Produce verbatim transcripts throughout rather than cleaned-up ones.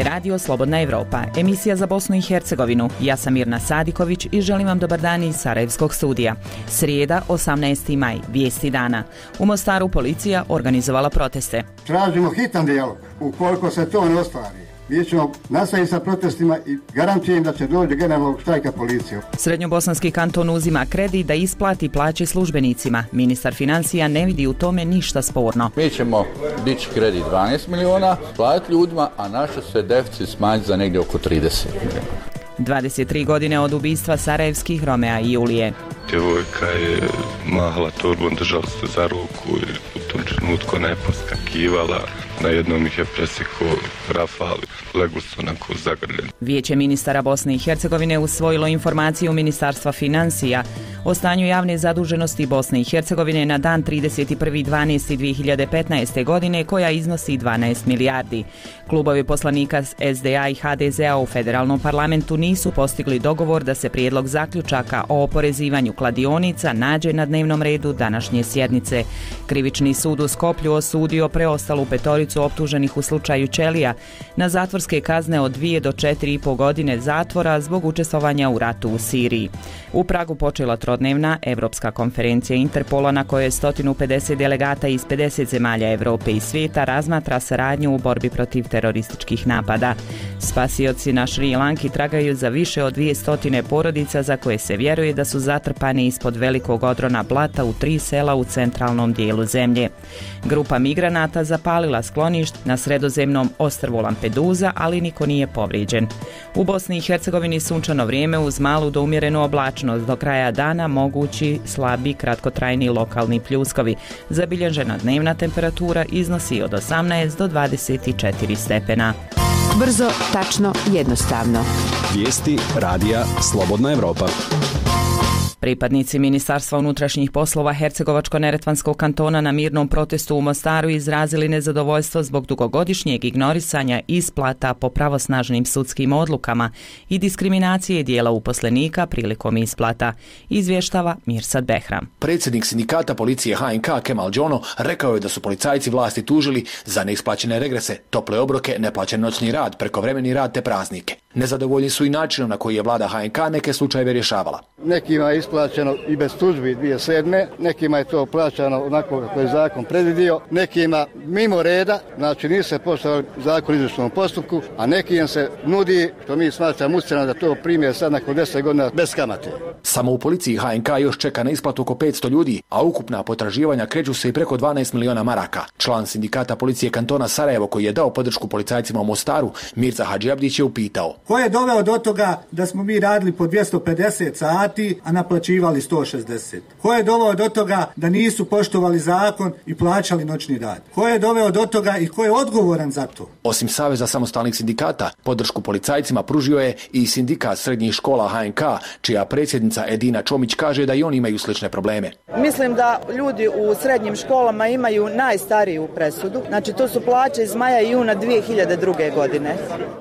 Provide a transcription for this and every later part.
je radio Slobodna Evropa, emisija za Bosnu i Hercegovinu. Ja sam Mirna Sadiković i želim vam dobar dan iz Sarajevskog studija. Srijeda, osamnaesti maj, vijesti dana. U Mostaru policija organizovala proteste. Tražimo hitan dijalog. Ukoliko se to ne ostvari, mi ćemo nastaviti sa protestima i garantujem da će doći do generalnog štrajka policije. Srednjobosanski kanton uzima kredit da isplati plaće službenicima. Ministar financija ne vidi u tome ništa sporno. Mi ćemo dići kredit dvanaest miliona, platiti ljudima, a naš se deficit smanjiti za negdje oko trideset miliona. dvadeset tri godine od ubistva sarajevskih Romea i Julije. Djevojka je mahala torbom, držala se za ruku i u tom trenutku ona je poskakivala. Na jednom ih je presekao rafal, legli su onako zagrljeni. Vijeće ministara Bosne i Hercegovine usvojilo informaciju Ministarstva financija o stanju javne zaduženosti Bosne i Hercegovine na dan trideset prvi dvanaesti dve hiljade petnaeste. godine koja iznosi dvanaest milijardi. Klubovi poslanika S D A i H D Z A u federalnom parlamentu nisu postigli dogovor da se prijedlog zaključaka o oporezivanju kladionica nađe na dnevnom redu današnje sjednice. Krivični sud u Skoplju osudio preostalu petoricu optuženih u slučaju Ćelija na zatvorske kazne od dvije do četiri i po godine zatvora zbog učestvovanja u ratu u Siriji. U Pragu počela trodnevna Evropska konferencija Interpola na kojoj je sto pedeset delegata iz pedeset zemalja Europe i svijeta razmatra saradnju u borbi protiv terorističkih napada. Spasioci na Šri Lanki tragaju za više od dvjesto porodica za koje se vjeruje da su zatrpane ispod velikog odrona blata u tri sela u centralnom dijelu zemlje. Grupa migranata zapalila skloništ na sredozemnom ostrvu Lampedusa, ali niko nije povrijeđen. U Bosni i Hercegovini sunčano vrijeme uz malu do umjerenu oblačnost, do kraja dana mogući slabi kratkotrajni lokalni pljuskovi. Zabilježena dnevna temperatura iznosi od osamnaest do dvadeset četiri stepena. Brzo, tačno, jednostavno. Vijesti radija Slobodna Evropa. Pripadnici Ministarstva unutrašnjih poslova Hercegovačko-neretvanskog kantona na mirnom protestu u Mostaru izrazili nezadovoljstvo zbog dugogodišnjeg ignorisanja isplata po pravosnažnim sudskim odlukama i diskriminacije dijela uposlenika prilikom isplata, izvještava Mirsad Behram. Predsjednik sindikata policije H N K Kemal Đono rekao je da su policajci vlasti tužili za neisplaćene regrese, tople obroke, neplaćen noćni rad, prekovremeni rad te praznike. Nezadovoljni su i načinom na koji je vlada H N K neke slučajeve rješavala. Nekima je isplaćeno i bez tužbi dvije hiljade sedme. Nekima je to plaćano onako kako je zakon predvidio, nekima mimo reda, znači nisu se poštovali zakon o izvršnom postupku, a nekim se nudi, što mi smatramo ucjenom da to prime sad nakon deset godina bez kamate. Samo u policiji H N K još čeka na isplatu oko petsto ljudi, a ukupna potraživanja kreću se i preko dvanaest miliona maraka. Član sindikata policije kantona Sarajevo koji je dao podršku policajcima u Mostaru, Mirza Hadžiabdić, je upitao: ko je doveo do toga da smo mi radili po dvjesto pedeset sati, a naplaćivali sto šezdeset? Ko je doveo do toga da nisu poštovali zakon i plaćali noćni rad? Ko je doveo do toga i ko je odgovoran za to? Osim Saveza samostalnih sindikata, podršku policajcima pružio je i sindikat srednjih škola H N K, čija predsjednica Edina Čomić kaže da i oni imaju slične probleme. Mislim da ljudi u srednjim školama imaju najstariju presudu. Znači to su plaće iz maja i juna dvije hiljade druge. godine.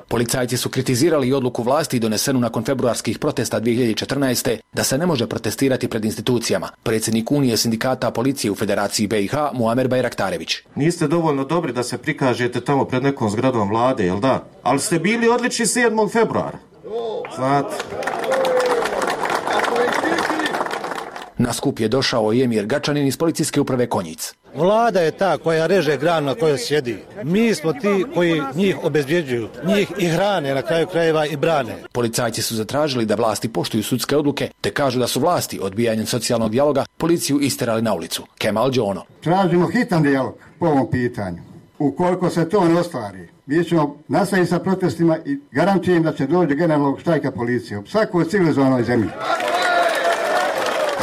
Policajci su kritizirali i odluku vlasti donesenu nakon februarskih protesta dvije hiljade četrnaeste. da se ne može protestirati pred institucijama. Predsjednik Unije sindikata policije u Federaciji B i H, Muamer Bajraktarević. Niste dovoljno dobri da se prikažete tamo pred nekom zgradom vlade, jel da? Ali ste bili odlični sedmog februara. Znate. Na skup je došao i Emir Gačanin iz policijske uprave Konjic. Vlada je ta koja reže granu na kojoj sjedi. Mi smo ti koji njih obezbjeđuju, njih i hrane, na kraju krajeva i brane. Policajci su zatražili da vlasti poštuju sudske odluke, te kažu da su vlasti odbijanjem socijalnog dijaloga policiju isterali na ulicu. Kemal Đono. Tražimo hitan dijalog po ovom pitanju. Ukoliko se to ne ostvari, mi ćemo nastaviti sa protestima i garantujem da će doći do generalnog štrajka policije u svakoj civilizovanoj zemlji.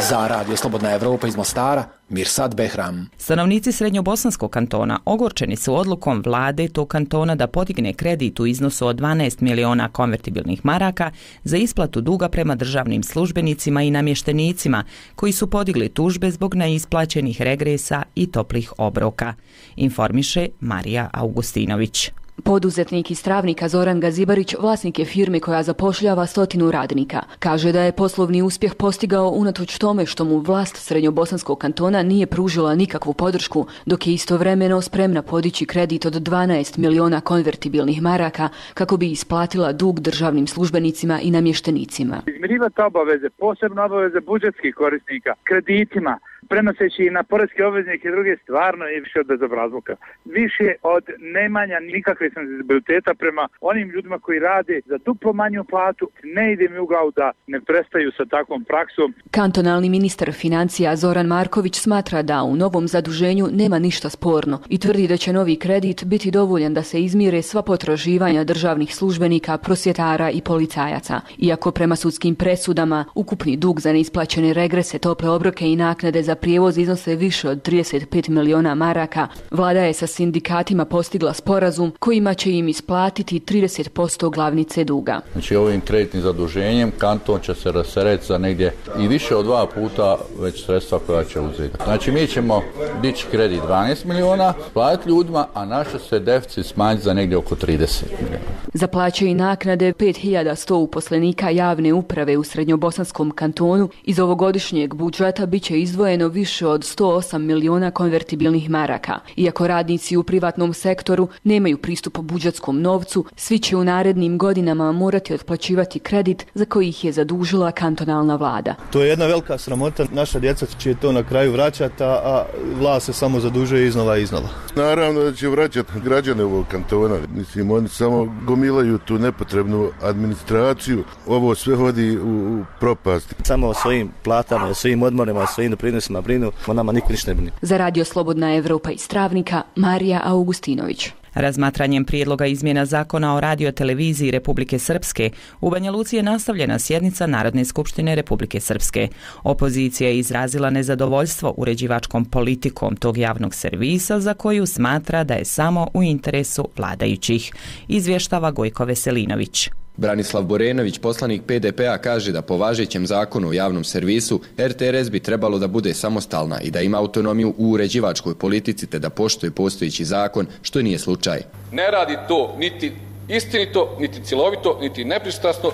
Za Radio Slobodna Evropa iz Mostara, Mirsad Behram. Stanovnici Srednjobosanskog kantona ogorčeni su odlukom vlade tog kantona da podigne kredit u iznosu od dvanaest miliona konvertibilnih maraka za isplatu duga prema državnim službenicima i namještenicima koji su podigli tužbe zbog neisplaćenih regresa i toplih obroka, informiše Marija Augustinović. Poduzetnik iz Travnika Zoran Gazibarić vlasnik je firme koja zapošljava stotinu radnika. Kaže da je poslovni uspjeh postigao unatoč tome što mu vlast Srednjobosanskog kantona nije pružila nikakvu podršku, dok je istovremeno spremna podići kredit od dvanaest miliona konvertibilnih maraka kako bi isplatila dug državnim službenicima i namještenicima. Izmirivati obaveze, posebno obaveze budžetskih korisnika, kreditima, prenoseći i na poreske obveznike i druge, stvarno je više od bezobrazluka. Više od nemanja nikakve senzibiliteta prema onim ljudima koji rade za duplo manju platu. Ne ide mi u glavu da ne prestaju sa takvom praksom. Kantonalni ministar financija Zoran Marković smatra da u novom zaduženju nema ništa sporno i tvrdi da će novi kredit biti dovoljan da se izmire sva potraživanja državnih službenika, prosvjetara i policajaca. Iako prema sudskim presudama ukupni dug za neisplaćene regrese, tople obroke i naknade za prijevoz iznose više od trideset pet miliona maraka, vlada je sa sindikatima postigla sporazum kojima će im isplatiti trideset posto glavnice duga. Znači ovim kreditnim zaduženjem kanton će se rasteretiti za negdje i više od dva puta već sredstva koja će uzeti. Znači mi ćemo dići kredit dvanaest miliona, platiti ljudima, a naš se deficit smanjiti za negdje oko trideset miliona. Za plaće i naknade pet hiljada sto uposlenika javne uprave u Srednjobosanskom kantonu iz ovogodišnjeg budžeta bit će izdvojeno više od sto osam miliona konvertibilnih maraka. Iako radnici u privatnom sektoru nemaju pristup budžetskom novcu, svi će u narednim godinama morati otplaćivati kredit za koji ih je zadužila kantonalna vlada. To je jedna velika sramota, naša djeca će to na kraju vraćati, a vlast se samo zadužuje iznova i iznova. Naravno da će vraćati građane ovog kantona. Mislim, oni samo gomilaju tu nepotrebnu administraciju. Ovo sve vodi u propast. Samo o svojim platama, o svojim odmorima, o svojim doprinosima brinu, o nama niko ništa ne brine. Za Radio Slobodna Evropa iz Travnika, Marija Augustinović. Razmatranjem prijedloga izmjena zakona o radioteleviziji Republike Srpske, u Banja Luci je nastavljena sjednica Narodne skupštine Republike Srpske. Opozicija je izrazila nezadovoljstvo uređivačkom politikom tog javnog servisa za koju smatra da je samo u interesu vladajućih, izvještava Gojko Veselinović. Branislav Borenović, poslanik P D P-a, kaže da po važećem zakonu o javnom servisu R T R S bi trebalo da bude samostalna i da ima autonomiju u uređivačkoj politici te da poštuje postojeći zakon, što nije slučaj. Ne radi to niti istinito, niti cjelovito, niti nepristrasno,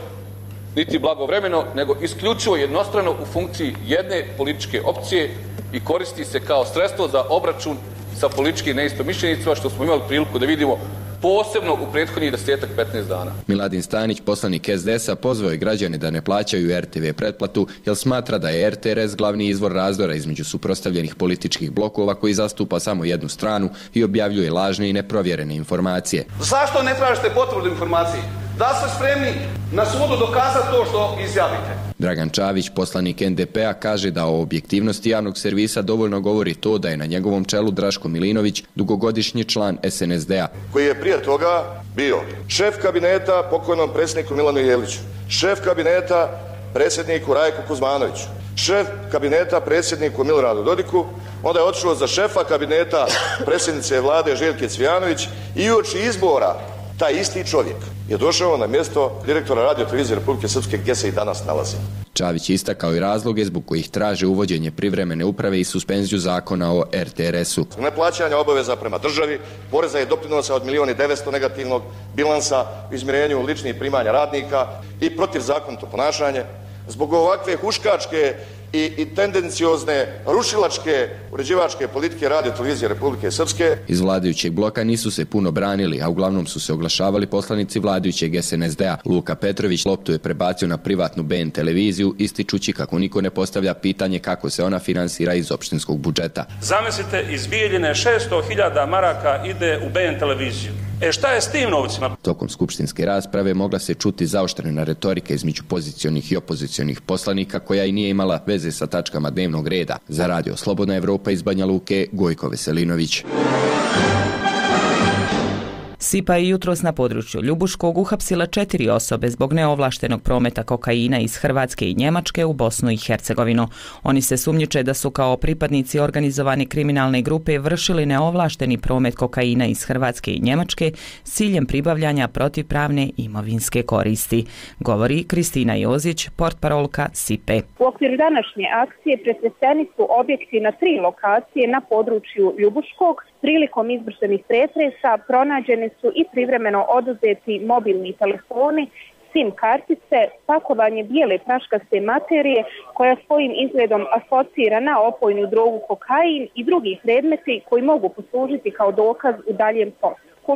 niti blagovremeno, nego isključivo jednostrano u funkciji jedne političke opcije i koristi se kao sredstvo za obračun sa političkim neistomišljenicima, što smo imali priliku da vidimo posebno u prethodnih desetak petnaest dana. Miladin Stanić, poslanik S D S-a, pozvao je građane da ne plaćaju R T V pretplatu, jer smatra da je R T R S glavni izvor razdora između suprotstavljenih političkih blokova koji zastupa samo jednu stranu i objavljuje lažne i neprovjerene informacije. Zašto ne tražite potvrdu informacije? Da ste spremni na sudu dokazati to što izjavite? Dragan Čavić, poslanik N D P-a, kaže da o objektivnosti javnog servisa dovoljno govori to da je na njegovom čelu Draško Milinović, dugogodišnji član S N S D-a. Koji je prije toga bio šef kabineta pokojnom predsjedniku Milanu Jeliću, šef kabineta predsjedniku Rajku Kuzmanoviću, šef kabineta predsjedniku Miloradu Dodiku, onda je otišao za šefa kabineta predsjednice vlade Željke Cvijanović i uoči izbora taj isti čovjek je došao na mjesto direktora radiotelevizije Republike Srpske gdje se i danas nalazi. Čavić istakao i razloge zbog kojih traže uvođenje privremene uprave i suspenziju zakona o R T R S-u. Neplaćanja obaveza prema državi, poreza i doprinosa od milijun i devetsto negativnog bilansa u izmirenju ličnih primanja radnika i protivzakonito ponašanje. Zbog ovakve huškačke i, i tendenciozne rušilačke uređivačke politike radiotelevizije Republike Srpske. Iz vladajućeg bloka nisu se puno branili, a uglavnom su se oglašavali poslanici vladajućeg S N S D-a. Luka Petrović loptu je prebacio na privatnu B N televiziju, ističući kako niko ne postavlja pitanje kako se ona finansira iz opštinskog budžeta. Zamislite, iz Bijeljine šesto hiljada maraka ide u B N televiziju. E šta je s tim novcima? Tokom skupštinske rasprave mogla se čuti zaoštrena retorika između pozicionih i opozicionih poslanika koja i nije imala veze sa tačkama dnevnog reda. Za Radio Slobodna Evropa iz Banja Luke, Gojko Veselinović. SIPA je jutros na području Ljubuškog uhapsila četiri osobe zbog neovlaštenog prometa kokaina iz Hrvatske i Njemačke u Bosnu i Hercegovinu. Oni se sumnjiče da su kao pripadnici organizovane kriminalne grupe vršili neovlašteni promet kokaina iz Hrvatske i Njemačke s ciljem pribavljanja protivpravne imovinske koristi, govori Kristina Jozić, portparolka SIPE. U okviru današnje akcije presreteni su objekti na tri lokacije na području Ljubuškog. Prilikom izvršenih pretresa pronađene su su i privremeno oduzeti mobilni telefoni, SIM kartice, pakovanje bijele praškaste materije koja svojim izgledom asocira na opojnu drogu kokain i drugi predmeti koji mogu poslužiti kao dokaz u daljem postupku.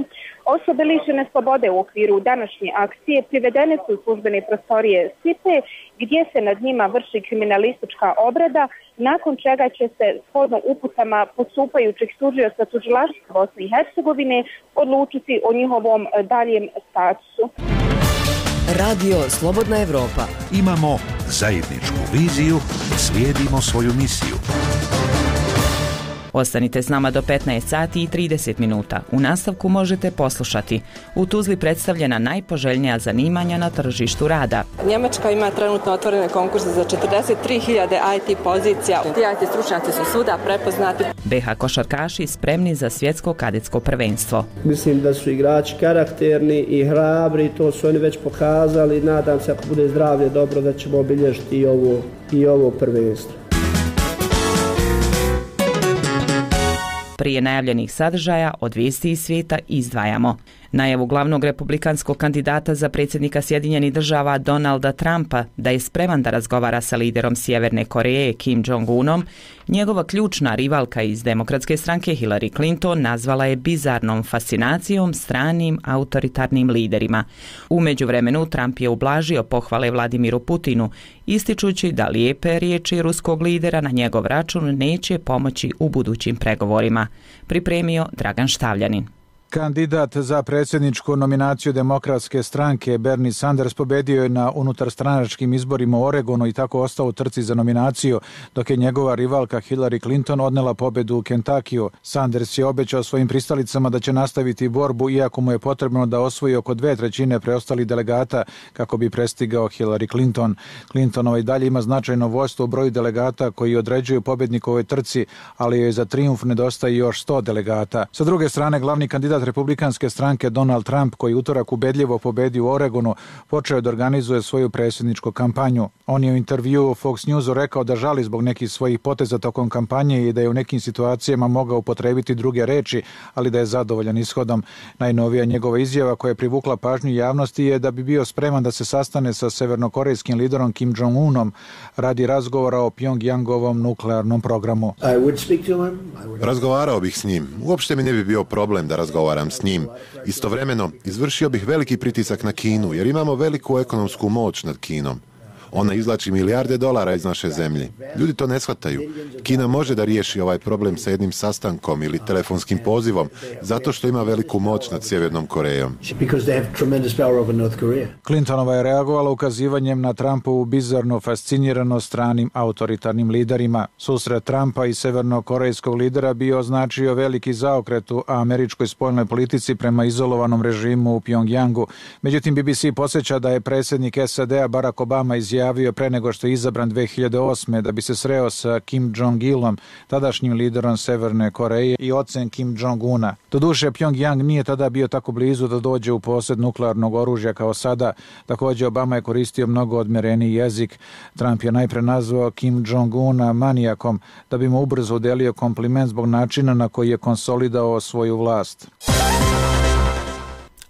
Osobe lišene slobode u okviru današnje akcije privedene su u službene prostorije S I P E gdje se nad njima vrši kriminalistička obrada, nakon čega će se shodno uputama postupajućeg tužioca tužilaštva Bosne i Hercegovine odlučiti o njihovom daljem statusu. Radio Slobodna Evropa. Imamo zajedničku viziju, slijedimo svoju misiju. Ostanite s nama do petnaest sati i trideset minuta. U nastavku možete poslušati: u Tuzli predstavljena najpoželjnija zanimanja na tržištu rada. Njemačka ima trenutno otvorene konkurse za četrdeset tri hiljade I T pozicija. Ti I T stručnjaci su svuda prepoznati. B H košarkaši spremni za svjetsko kadetsko prvenstvo. Mislim da su igrači karakterni i hrabri, to su oni već pokazali. Nadam se, ako bude zdravlje dobro, da ćemo obilježiti i ovo, i ovo prvenstvo. Prije najavljenih sadržaja od vijesti iz svijeta izdvajamo najavu glavnog republikanskog kandidata za predsjednika Sjedinjenih država Donalda Trumpa da je spreman da razgovara sa liderom Sjeverne Koreje Kim Jong-unom, njegova ključna rivalka iz demokratske stranke Hillary Clinton nazvala je bizarnom fascinacijom stranim autoritarnim liderima. U međuvremenu Trump je ublažio pohvale Vladimiru Putinu, ističući da lijepe riječi ruskog lidera na njegov račun neće pomoći u budućim pregovorima. Pripremio Dragan Štavljanin. Kandidat za predsjedničku nominaciju demokratske stranke Bernie Sanders pobedio je na unutarstranačkim izborima u Oregonu i tako ostao u trci za nominaciju, dok je njegova rivalka Hillary Clinton odnela pobedu u Kentakiju. Sanders je obećao svojim pristalicama da će nastaviti borbu, iako mu je potrebno da osvoji oko dve trećine preostalih delegata kako bi prestigao Hillary Clinton. Clintonova i dalje ima značajno vođstvo u broju delegata koji određuju pobjednikovoj trci, ali joj za trijumf nedostaje još sto delegata. Sa druge strane, glavni kandidat republikanske stranke Donald Trump, koji utorak ubedljivo pobedio u Oregonu, počeo da organizuje svoju predsjedničku kampanju. On je u intervjuu Fox Newsu rekao da žali zbog nekih svojih poteza tokom kampanje i da je u nekim situacijama mogao upotrebiti druge reči, ali da je zadovoljan ishodom. Najnovija njegova izjava koja je privukla pažnju javnosti je da bi bio spreman da se sastane sa severnokorejskim liderom Kim Jong-unom radi razgovora o Pjongjangovom nuklearnom programu. Razgovarao bih s njim. Uopšte mi ne bi bio problem da razgovaram s njim. Istovremeno, izvršio bih veliki pritisak na Kinu, jer imamo veliku ekonomsku moć nad Kinom. Ona izvlači milijarde dolara iz naše zemlje. Ljudi to ne shvataju. Kina može da riješi ovaj problem sa jednim sastankom ili telefonskim pozivom, zato što ima veliku moć nad Sjevernom Korejom. Clintonova je reagovala ukazivanjem na Trumpovu bizarnu fasciniranost stranim autoritarnim liderima. Susret Trumpa i severnokorejskog lidera bio označio veliki zaokret u američkoj spoljnoj politici prema izolovanom režimu u Pjongjangu. Međutim, B B C podsjeća da je predsjednik S A D-a Barack Obama izjavio pre nego što je izabran dve hiljade osme da bi se sreo sa Kim Jong-ilom, tadašnjim liderom Severne Koreje i ocem Kim Jong-una. Doduše, Pjongjang nije tada bio tako blizu da dođe u posjed nuklearnog oružja kao sada. Također, Obama je koristio mnogo odmjereniji jezik. Trump je najpre nazvao Kim Jong-una manijakom da bi mu ubrzo udelio kompliment zbog načina na koji je konsolidao svoju vlast.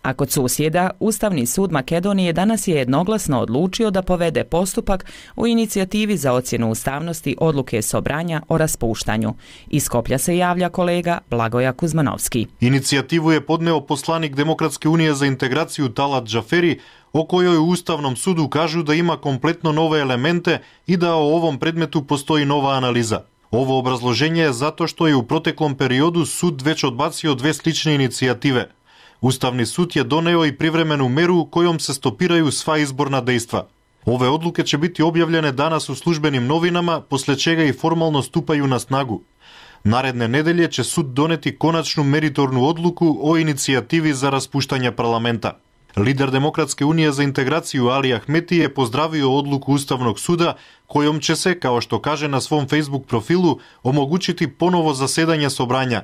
A kod susjeda, Ustavni sud Makedonije danas je jednoglasno odlučio da povede postupak u inicijativi za ocjenu ustavnosti odluke Sobranja o raspuštanju. Iz Skoplja se javlja kolega Blagoja Kuzmanovski. Inicijativu je podneo poslanik Demokratske unije za integraciju Talat Džaferi, o kojoj u Ustavnom sudu kažu da ima kompletno nove elemente i da o ovom predmetu postoji nova analiza. Ovo obrazloženje je zato što je u proteklom periodu sud već odbacio dve slične inicijative. Ustavni sud je doneo i privremenu meru kojom se stopiraju sva izborna dejstva. Ove odluke će biti objavljene danas u službenim novinama, posle čega i formalno stupaju na snagu. Naredne nedelje će sud doneti konačnu meritornu odluku o inicijativi za raspuštanje parlamenta. Lider Demokratske unije za integraciju Ali Ahmeti je pozdravio odluku Ustavnog suda kojom će se, kao što kaže na svom Facebook profilu, omogućiti ponovo zasedanje Sobranja.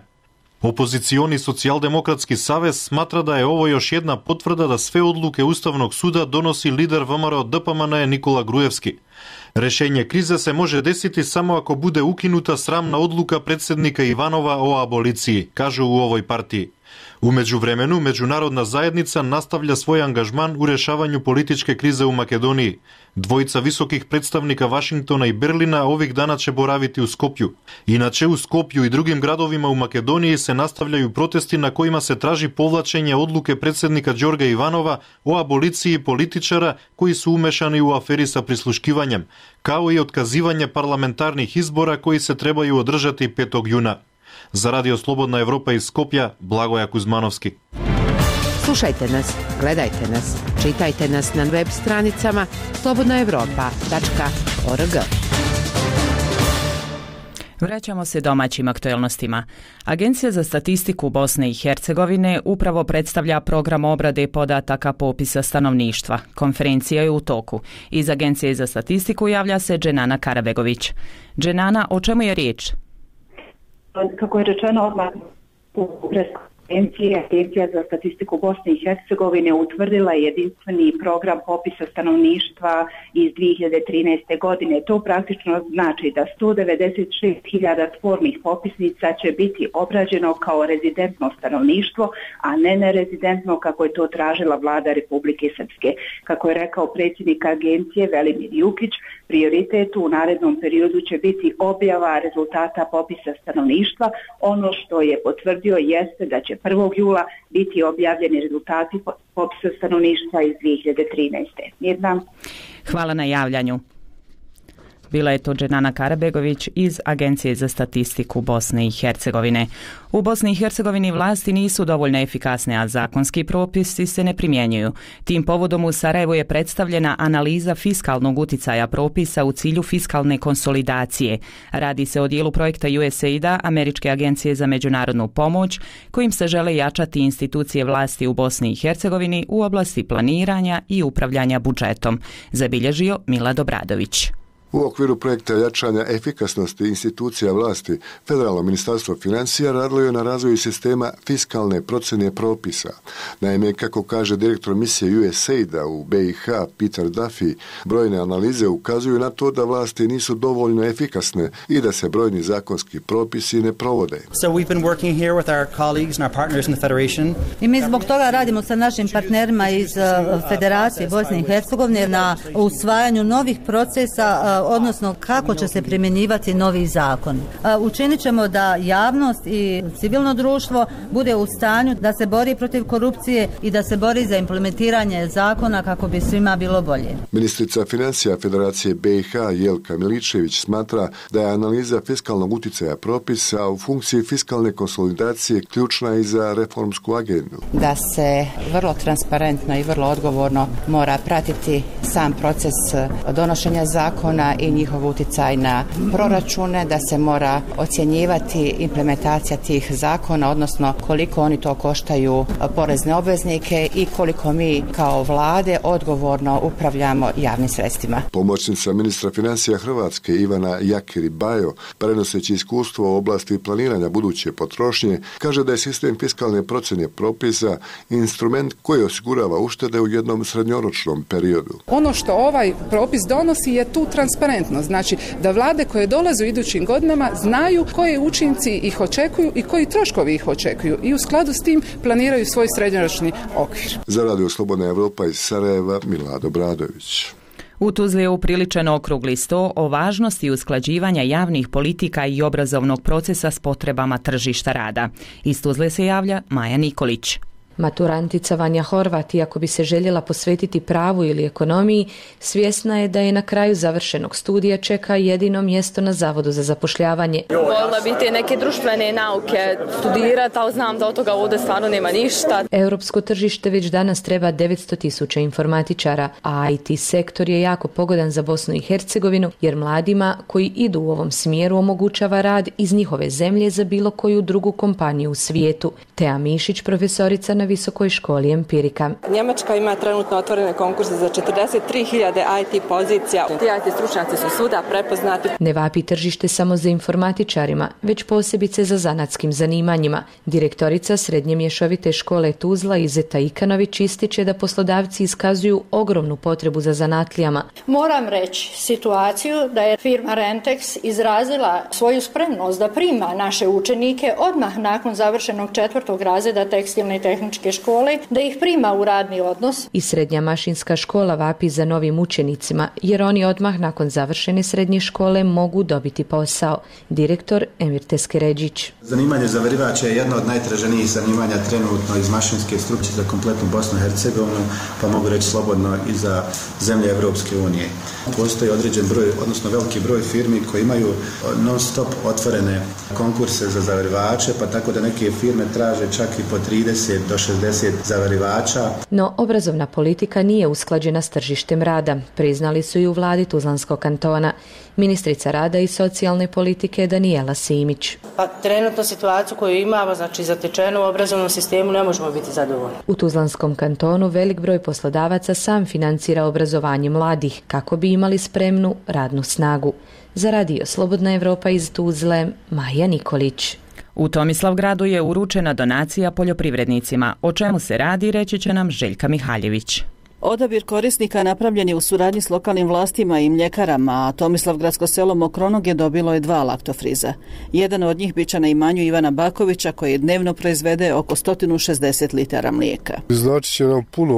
Opozicioni Socijaldemokratski savez smatra da je ovo još jedna potvrda da sve odluke Ustavnog suda donosi lider V M R O D P M N Nikola Grujevski. Rešenje krize se može desiti samo ako bude ukinuta sramna odluka predsjednika Ivanova o aboliciji, kažu u ovoj partiji. U međuvremenu, međunarodna zajednica nastavlja svoj angažman u rešavanju političke krize u Makedoniji. Dvojica visokih predstavnika Vašingtona i Berlina ovih dana će boraviti u Skopju. Inače, u Skopju i drugim gradovima u Makedoniji se nastavljaju protesti na kojima se traži povlačenje odluke predsjednika Đorga Ivanova o aboliciji političara koji su umešani u aferi sa prisluškivanjem, kao i otkazivanje parlamentarnih izbora koji se trebaju održati petog juna. Za Radio Slobodna Evropa iz Skopja, Blagoja Kuzmanovski. Slušajte nas, gledajte nas, čitajte nas na web stranicama slobodna evropa tačka org. Vraćamo se domaćim aktuelnostima. Agencija za statistiku Bosne i Hercegovine upravo predstavlja program obrade podataka popisa stanovništva. Konferencija je u toku. Iz Agencije za statistiku javlja se Dženana Karabegović. Dženana, o čemu je riječ? Kako je rečeno odmah u preskonferenciji, Agencija za statistiku Bosne i Hercegovine utvrdila jedinstveni program popisa stanovništva iz dvije hiljade trinaeste. godine. To praktično znači da sto devedeset šest hiljada tvornih popisnica će biti obrađeno kao rezidentno stanovništvo, a ne nerezidentno kako je to tražila vlada Republike Srpske. Kako je rekao predsjednik agencije Velimir Jukić, prioritet u narednom periodu će biti objava rezultata popisa stanovništva. Ono što je potvrdio jeste da će prvog jula biti objavljeni rezultati popisa stanovništva iz dvije hiljade trinaeste. Mirna. Hvala na javljanju. Bila je to Dženana Karabegović iz Agencije za statistiku Bosne i Hercegovine. U Bosni i Hercegovini vlasti nisu dovoljno efikasne, a zakonski propisi se ne primjenjuju. Tim povodom u Sarajevu je predstavljena analiza fiskalnog uticaja propisa u cilju fiskalne konsolidacije. Radi se o dijelu projekta U S A I D-a, Američke agencije za međunarodnu pomoć, kojim se žele jačati institucije vlasti u Bosni i Hercegovini u oblasti planiranja i upravljanja budžetom, zabilježio Milad Obradović. U okviru projekta jačanja efikasnosti institucija vlasti, Federalno ministarstvo financija radilo je na razvoju sistema fiskalne procjene propisa. Naime, kako kaže direktor misije U S A I D-a u B i H Peter Duffy, brojne analize ukazuju na to da vlasti nisu dovoljno efikasne i da se brojni zakonski propisi ne provode. So we've been working here with our colleagues and our partners in the Federation. I mi zbog toga radimo sa našim partnerima iz Federacije Bosne i Hercegovine na usvajanju novih procesa, odnosno kako će se primjenjivati novi zakon. Učinit ćemo da javnost i civilno društvo bude u stanju da se bori protiv korupcije i da se bori za implementiranje zakona kako bi svima bilo bolje. Ministrica financija Federacije B i H Jelka Miličević smatra da je analiza fiskalnog uticaja propisa u funkciji fiskalne konsolidacije ključna i za reformsku agendu. Da se vrlo transparentno i vrlo odgovorno mora pratiti sam proces donošenja zakona i njihov utjecaj na proračune, da se mora ocjenjivati implementacija tih zakona, odnosno koliko oni to koštaju porezne obveznike i koliko mi kao vlade odgovorno upravljamo javnim sredstvima. Pomoćnica ministra financija Hrvatske Ivana Jakiri Bajo, prenoseći iskustvo u oblasti planiranja buduće potrošnje, kaže da je sistem fiskalne procjene propisa instrument koji osigurava uštede u jednom srednjoročnom periodu. Ono što ovaj propis donosi je tu transparentnost. Znači da vlade koje dolaze u idućim godinama znaju koji učinci ih očekuju i koji troškovi ih očekuju i u skladu s tim planiraju svoj srednjoročni okvir. Za Radio Slobodna Evropa iz Sarajeva, Milad Obradović. U Tuzli je upriličen okrugli sto o važnosti usklađivanja javnih politika i obrazovnog procesa s potrebama tržišta rada. Iz Tuzle se javlja Maja Nikolić. Maturantica Vanja Horvat, iako bi se željela posvetiti pravu ili ekonomiji, svjesna je da je na kraju završenog studija čeka jedino mjesto na Zavodu za zapošljavanje. Voljela bi te neke društvene nauke studirati, ali znam da od toga ovdje stvarno nema ništa. Europsko tržište već danas treba devetsto tisuća informatičara, a I T sektor je jako pogodan za Bosnu i Hercegovinu, jer mladima koji idu u ovom smjeru omogućava rad iz njihove zemlje za bilo koju drugu kompaniju u svijetu. Tea Mišić, profesorica na na Visokoj školi Empirika. Njemačka ima trenutno otvorene konkurse za četrdeset tri hiljade I T pozicija. Ti I T stručnjaci su svuda prepoznati. Ne vapi tržište samo za informatičarima, već posebice za zanatskim zanimanjima. Direktorica Srednje mješovite škole Tuzla Izeta Ikanović ističe da poslodavci iskazuju ogromnu potrebu za zanatlijama. Moram reći situaciju da je firma Rentex izrazila svoju spremnost da prima naše učenike odmah nakon završenog četvrtog razreda tekstilne i tehničke škole, da ih prima u radni odnos. I Srednja mašinska škola vapi za novim učenicima, jer oni odmah nakon završene srednje škole mogu dobiti posao. Direktor Emir Teskeređić. Zanimanje zavarivača je jedno od najtraženijih zanimanja trenutno iz mašinske struke za kompletnu Bosnu i Hercegovinu, pa mogu reći slobodno i za zemlje Evropske unije. Postoji određen broj, odnosno veliki broj firmi koji imaju non stop otvorene konkurse za zavarivače, pa tako da neke firme traže čak i po trideset do šezdeset zavarivača. No, obrazovna politika nije usklađena s tržištem rada, priznali su i u vladi Tuzlanskog kantona. Ministrica rada i socijalne politike Danijela Simić. Pa trenutno situaciju koju imamo, znači zatečenu u obrazovnom sistemu, ne možemo biti zadovoljni. U Tuzlanskom kantonu velik broj poslodavaca sam financira obrazovanje mladih kako bi imali spremnu radnu snagu. Za radio Slobodna Evropa iz Tuzle, Maja Nikolić. U Tomislavgradu je uručena donacija poljoprivrednicima. O čemu se radi, reći će nam Željka Mihaljević. Odabir korisnika napravljen je u suradnji s lokalnim vlastima i mljekarama, a Tomislavgradsko selo Mokronog je dobilo je dva laktofriza. Jedan od njih biće na imanju Ivana Bakovića, koji dnevno proizvede oko sto šezdeset litara mlijeka. Znači će nam puno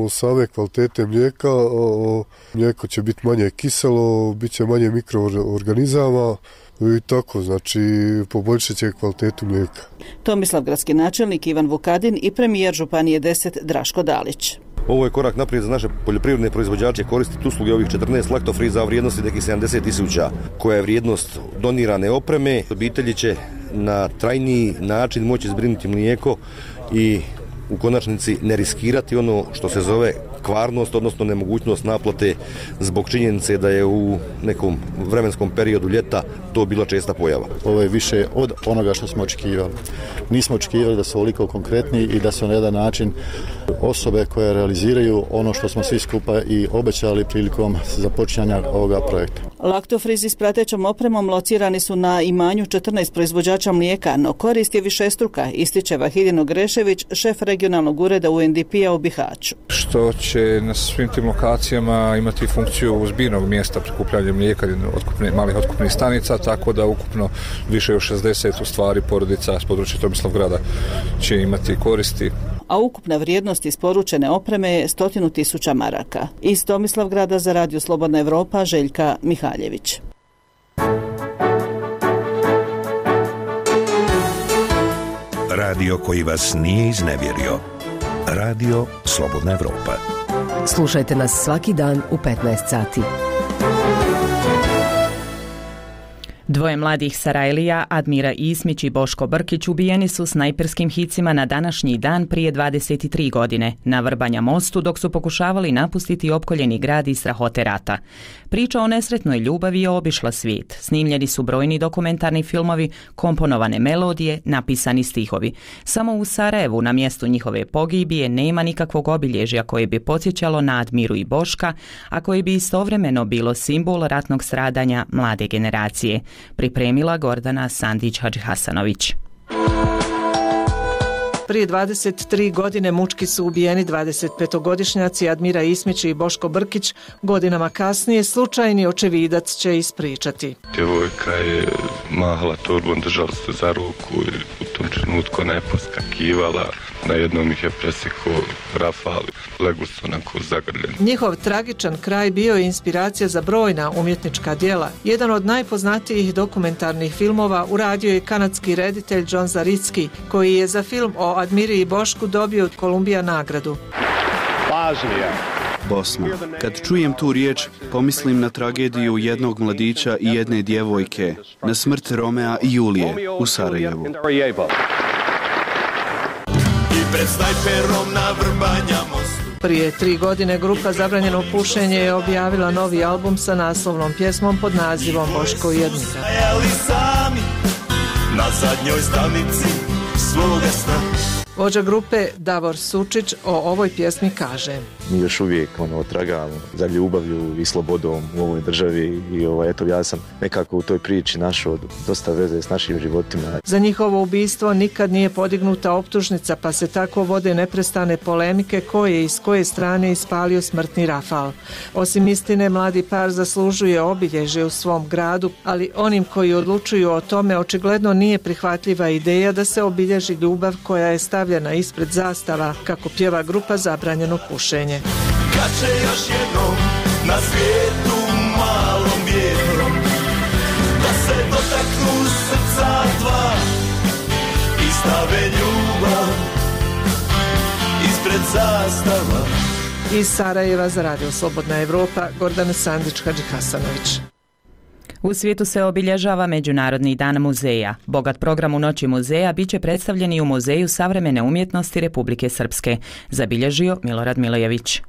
o same kvalitete mlijeka, o, mlijeko će biti manje kiselo, bit će manje mikroorganizama, i tako, znači poboljšat će kvalitetu mlijeka. Tomislavgradski načelnik Ivan Vukadin i premijer Županije deset Draško Dalić. Ovo je korak naprijed za naše poljoprivredne proizvođače koristiti usluge ovih četrnaest laktofriza u vrijednosti nekih sedamdeset tisuća, koja je vrijednost donirane opreme. Obitelji će na trajniji način moći zbrinuti mlijeko i u konačnici ne riskirati ono što se zove kvarnost, odnosno nemogućnost naplate zbog činjenice da je u nekom vremenskom periodu ljeta to bila česta pojava. Ovo je više od onoga što smo očekivali. Nismo očekivali da su ovoliko konkretni i da su na jedan način osobe koje realiziraju ono što smo svi skupa i obećali prilikom započinjanja ovoga projekta. Laktofrizi s pratećom opremom locirani su na imanju četrnaest proizvođača mlijeka, no korist je višestruka, ističe Vahidin Grešević, šef regionalnog ureda U N D P-a u Bihaću. Što će na svim tim lokacijama imati funkciju zbirnog mjesta prikupljanja mlijeka otkupne, malih otkupnih stanica, tako da ukupno više od šezdeset u stvari porodica s područja Tomislavgrada će imati koristi. A ukupna vrijednost isporučene opreme je stotinu tisuća maraka. Iz Tomislavgrada za radio Slobodna Evropa, Željka Mihaljević. Radio koji vas nije iznevjerio. Radio Slobodna Evropa. Slušajte nas svaki dan u petnaest sati. Dvoje mladih Sarajlija, Admira Ismić i Boško Brkić, ubijeni su snajperskim hicima na današnji dan prije dvadeset tri godine na Vrbanja mostu dok su pokušavali napustiti opkoljeni grad iz strahote rata. Priča o nesretnoj ljubavi je obišla svijet. Snimljeni su brojni dokumentarni filmovi, komponovane melodije, napisani stihovi. Samo u Sarajevu na mjestu njihove pogibije nema nikakvog obilježja koje bi podsjećalo na Admiru i Boška, a koje bi istovremeno bilo simbol ratnog stradanja mlade generacije. Pripremila Gordana Sandić-Hadžihasanović. Prije dvadeset tri godine mučki su ubijeni dvadesetpetogodišnjaci Admira Ismić i Boško Brkić. Godinama kasnije slučajni očevidac će ispričati. Djevojka je mahala torbom, držali se za ruku i u tom trenutku ona je poskakivala. Na jednom ih je presekao rafal, legu su onako zagrljeni. Njihov tragičan kraj bio je inspiracija za brojna umjetnička djela. Jedan od najpoznatijih dokumentarnih filmova uradio je kanadski reditelj John Zaricki, koji je za film o Admiri i Bošku dobio od Kolumbija nagradu. Pažnja. Bosna. Kad čujem tu riječ, pomislim na tragediju jednog mladića i jedne djevojke, na smrt Romea i Julije u Sarajevu. Pred snajperom na Vrbanja mostu. Prije tri godine grupa Zabranjeno pušenje je objavila novi album sa naslovnom pjesmom pod nazivom Boško i Admira. Stajali sami na zadnjoj stanici svoga sna. Vođa grupe Davor Sučić o ovoj pjesmi kaže: Mi još uvijek ono, tragamo za ljubavlju i slobodom u ovoj državi i ovaj, eto, ja sam nekako u toj priči našao dosta veze s našim životima. Za njihovo ubistvo nikad nije podignuta optužnica, pa se tako vode neprestane polemike ko je i s koje strane ispalio smrtni rafal. Osim istine, mladi par zaslužuje obilježje u svom gradu, ali onim koji odlučuju o tome očigledno nije prihvatljiva ideja da se obilježi ljubav koja je stavljena ispred zastava, kako pjeva grupa Zabranjeno pušenje. Kad će još jednom na svijetu malom vjetrom da se dotaknu srca dva i stave ljubav ispred zastava. Iz Sarajeva za Radio Slobodna Evropa, Gordana Sandić-Hadžihasanović. U svijetu se obilježava Međunarodni dan muzeja. Bogat program u Noći muzeja biće predstavljen i u Muzeju savremene umjetnosti Republike Srpske, zabilježio Milorad Milojević.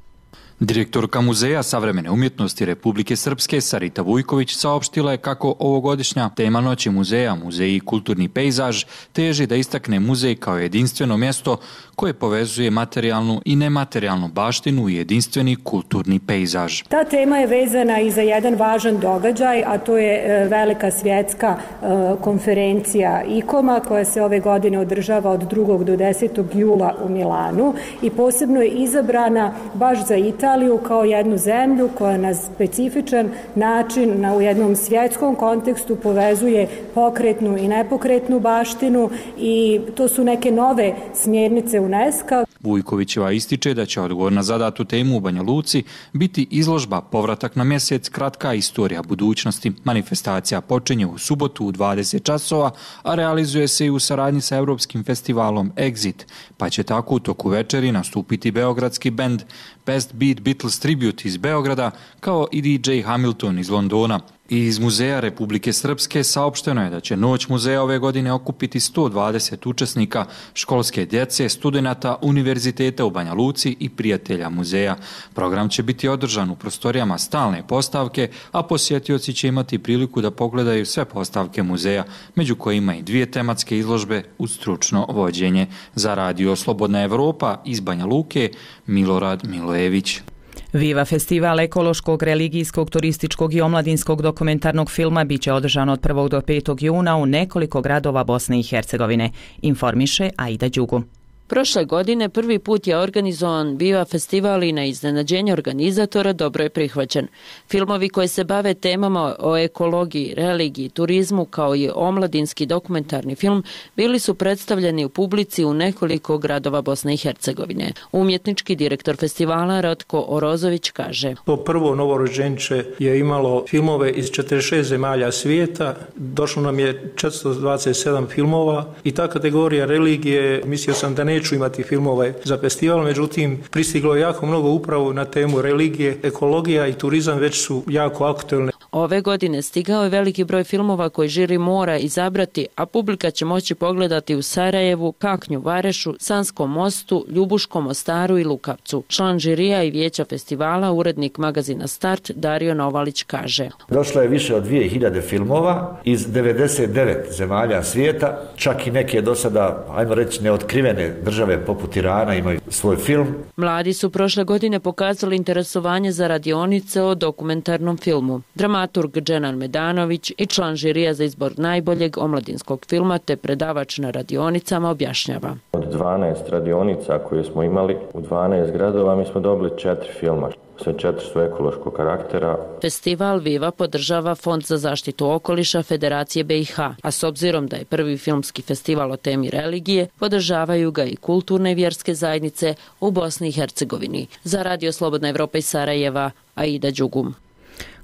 Direktorka Muzeja savremene umjetnosti Republike Srpske Sarita Vujković saopštila je kako ovogodišnja tema Noći muzeja, Muzej i kulturni pejzaž, teži da istakne muzej kao jedinstveno mjesto koje povezuje materijalnu i nematerijalnu baštinu u jedinstveni kulturni pejzaž. Ta tema je vezana i za jedan važan događaj, a to je velika svjetska konferencija ICOM-a koja se ove godine održava od drugog do desetog jula u Milanu i posebno je izabrana baš za Italiju Italiju kao jednu zemlju koja na specifičan način na u jednom svjetskom kontekstu povezuje pokretnu i nepokretnu baštinu i to su neke nove smjernice UNESCO. Vujkovićeva ističe da će odgovor na zadatu temu u Banja Luci biti izložba Povratak na mjesec, kratka istorija budućnosti. Manifestacija počinje u subotu u dvadeset časova, a realizuje se i u saradnji sa Europskim festivalom Exit, pa će tako u toku večeri nastupiti beogradski bend Best Beat Beatles Tribute iz Beograda, kao i D J Hamilton iz Londona. I iz Muzeja Republike Srpske saopšteno je da će Noć muzeja ove godine okupiti sto dvadeset učesnika, školske djece, studenata, univerziteta u Banja Luci i prijatelja muzeja. Program će biti održan u prostorijama stalne postavke, a posjetioci će imati priliku da pogledaju sve postavke muzeja, među kojima i dvije tematske izložbe uz stručno vođenje. Za Radio Slobodna Evropa iz Banja Luke, Milorad Milojević. Viva festival ekološkog, religijskog, turističkog i omladinskog dokumentarnog filma biće održan od prvog do petog juna u nekoliko gradova Bosne i Hercegovine, informiše Aida Đugu. Prošle godine prvi put je organizovan Viva festival i na iznenađenje organizatora dobro je prihvaćen. Filmovi koji se bave temama o ekologiji, religiji, turizmu kao i omladinski dokumentarni film bili su predstavljeni u publici u nekoliko gradova Bosne i Hercegovine. Umjetnički direktor festivala Ratko Orozović kaže: To prvo novorođenče je imalo filmove iz četrdeset šest zemalja svijeta, došlo nam je četiristo dvadeset sedam filmova i ta kategorija religije, mislio sam da ne neću imati filmove za festival, međutim pristiglo je jako mnogo upravo na temu religije, ekologija i turizam već su jako aktuelne. Ove godine stigao je veliki broj filmova koji žiri mora izabrati, a publika će moći pogledati u Sarajevu, Kaknju, Varešu, Sanskom mostu, Ljubuškom, Mostaru i Lukavcu. Član žirija i vijeća festivala, urednik magazina Start, Dario Novalić kaže: Došlo je više od dvije hiljade filmova iz devedeset devet zemalja svijeta, čak i neke do sada, ajmo reći, neotkrivene države poput Irana imaju svoj film. Mladi su prošle godine pokazali interesovanje za radionice o dokumentarnom filmu. Dramaturg Dženan Medanović i član žirija za izbor najboljeg omladinskog filma te predavač na radionicama objašnjava: Od dvanaest radionica koje smo imali u dvanaest gradova mi smo dobili četiri filma. Sve četiri su ekološkog karaktera. Festival Viva podržava Fond za zaštitu okoliša Federacije B i H, a s obzirom da je prvi filmski festival o temi religije, podržavaju ga i kulturne i vjerske zajednice u Bosni i Hercegovini. Za Radio Slobodna Evropa iz Sarajeva, Aida Đugum.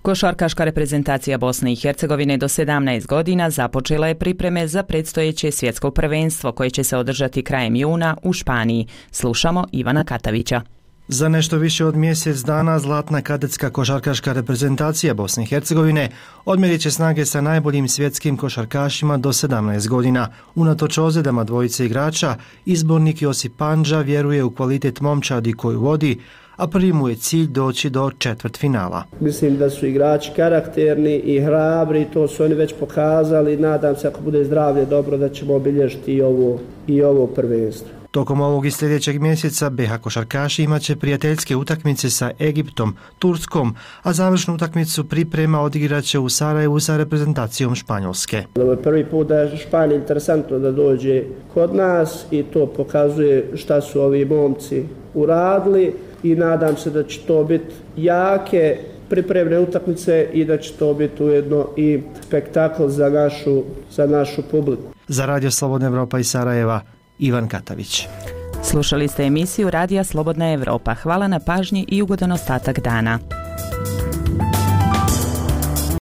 Košarkaška reprezentacija Bosne i Hercegovine do sedamnaest godina započela je pripreme za predstojeće svjetsko prvenstvo koje će se održati krajem juna u Španiji. Slušamo Ivana Katavića. Za nešto više od mjesec dana zlatna kadetska košarkaška reprezentacija Bosne i Hercegovine odmjerit će snage sa najboljim svjetskim košarkašima do sedamnaest godina. Unatoč ozljedama dvojice igrača, izbornik Josip Pandža vjeruje u kvalitet momčadi koju vodi, a prvi mu je cilj doći do četvrtfinala. Mislim da su igrači karakterni i hrabri, to su oni već pokazali. Nadam se ako bude zdravlje dobro da ćemo obilježiti i ovo, i ovo prvenstvo. Tokom ovog i sljedećeg mjeseca B H košarkaši imaće prijateljske utakmice sa Egiptom, Turskom, a završnu utakmicu priprema odigraće u Sarajevu sa reprezentacijom Španjolske. Ovo je prvi put da je Španija interesantno da dođe kod nas i to pokazuje šta su ovi momci uradili i nadam se da će to biti jake pripremne utakmice i da će to biti ujedno i spektakl za našu, za našu publiku. Za Radio Slobodna Evropa iz Sarajeva, Ivan Katavić. Slušali ste emisiju Radija Slobodna Evropa. Hvala na pažnji i ugodan ostatak dana.